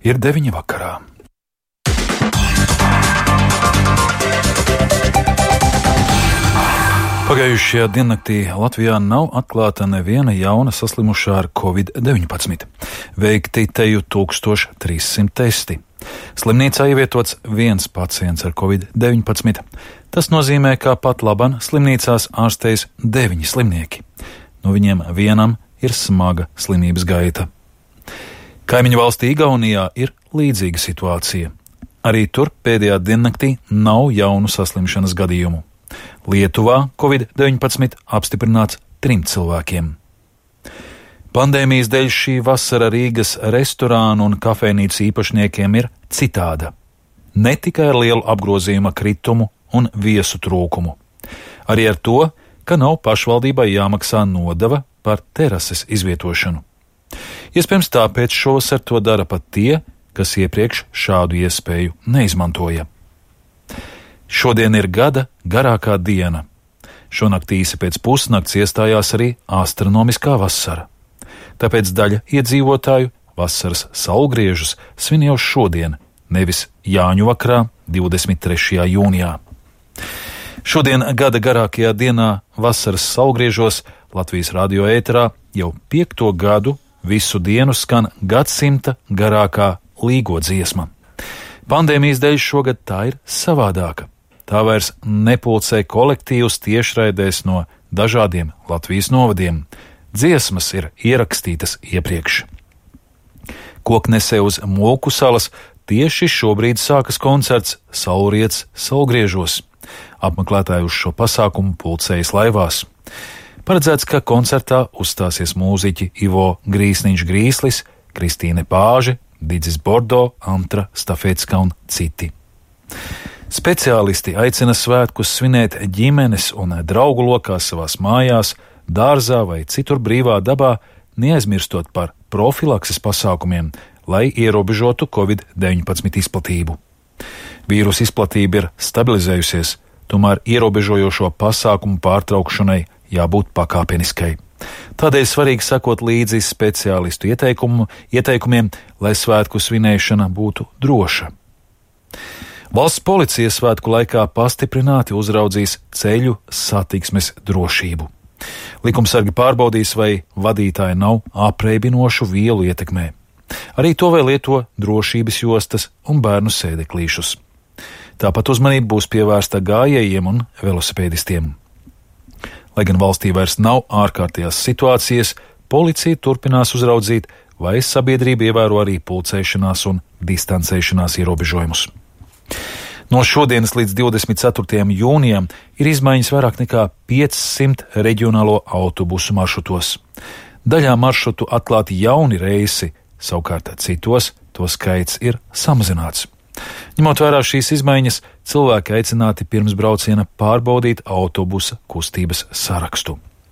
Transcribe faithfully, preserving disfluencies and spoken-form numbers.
Ir deviņi vakarā. Pagājušajā diennaktī Latvijā nav atklāta neviena jauna saslimušā ar covid deviņpadsmit. Veikti teju tūkstoš trīs simt testi. Slimnīcā ievietots viens pacients ar covid deviņpadsmit. Tas nozīmē, ka pat laban slimnīcās ārstējas deviņi slimnieki. No viņiem vienam ir smaga slimības gaita. Kaimiņu valstī Igaunijā ir līdzīga situācija. Arī tur pēdējā diennaktī nav jaunu saslimšanas gadījumu. Lietuvā covid deviņpadsmit apstiprināts trim cilvēkiem. Pandēmijas dēļ šī vasara Rīgas restorānu un kafejnīcu īpašniekiem ir citāda. Ne tikai ar lielu apgrozījuma kritumu un viesu trūkumu. Arī ar to, ka nav pašvaldībai jāmaksā nodeva par terases izvietošanu. Iespējams, tāpēc šovasar to dara pat tie, kas iepriekš šādu iespēju neizmantoja. Šodien ir gada garākā diena. Šonakt īsi pēc pusnakts iestājās arī astronomiskā vasara. Tāpēc daļa iedzīvotāju vasaras saulgriežus svin jau šodien, nevis Jāņu vakarā, divdesmit trešajā jūnijā. Šodien gada garākajā dienā vasaras saulgriežos Latvijas radio ēterā jau piekto gadu visu dienu skan gadsimta garākā līgo dziesma. Pandēmijas dēļ šogad tā ir savādāka. Tā vairs nepulcē kolektīvus tiešraidēs no dažādiem Latvijas novadiem. Dziesmas ir ierakstītas iepriekš. Koknesē uz Molku salas tieši šobrīd sākas koncerts Saulriets saulgriežos. Apmeklētāji uz šo pasākumu pulcējas laivās. Paredzēts, ka koncertā uzstāsies mūziķi Ivo Grīsniņš Grīslis, Kristīne Pāže, Didzis Bordo, Antra Stafetska un citi. Speciālisti aicina svētkus svinēt ģimenes un draugu lokā savās mājās, dārzā vai citur brīvā dabā, neaizmirstot par profilakses pasākumiem, lai ierobežotu covid deviņpadsmit izplatību. Vīrusa izplatība ir stabilizējusies, tomēr ierobežojošo pasākumu pārtraukšanai jābūt pakāpeniskai. Tādēļ svarīgi sekot līdzi speciālistu ieteikumu, ieteikumiem, lai svētku svinēšana būtu droša. Valsts policija svētku laikā pastiprināti uzraudzīs ceļu satiksmes drošību. Likumsargi pārbaudīs, vai vadītāji nav apreibinošu vielu ietekmē. Arī to vēl lieto drošības jostas un bērnu sēdeklīšus. Tāpat uzmanība būs pievērsta gājējiem un velosipēdistiem. Lai gan valstī vairs nav ārkārtējās situācijas, policija turpinās uzraudzīt, vai sabiedrība ievēro arī pulcēšanās un distancēšanās ierobežojumus. No šodienas līdz divdesmit ceturtajam jūnijam ir izmaiņas vairāk nekā piecsimt reģionālo autobusu maršrutos. Daļā maršrutu atklāti jauni reisi, savukārt citos to skaits ir samazināts. Ņemot vērā šīs izmaiņas, cilvēki aicināti pirms brauciena pārbaudīt autobusa kustības sarakstu.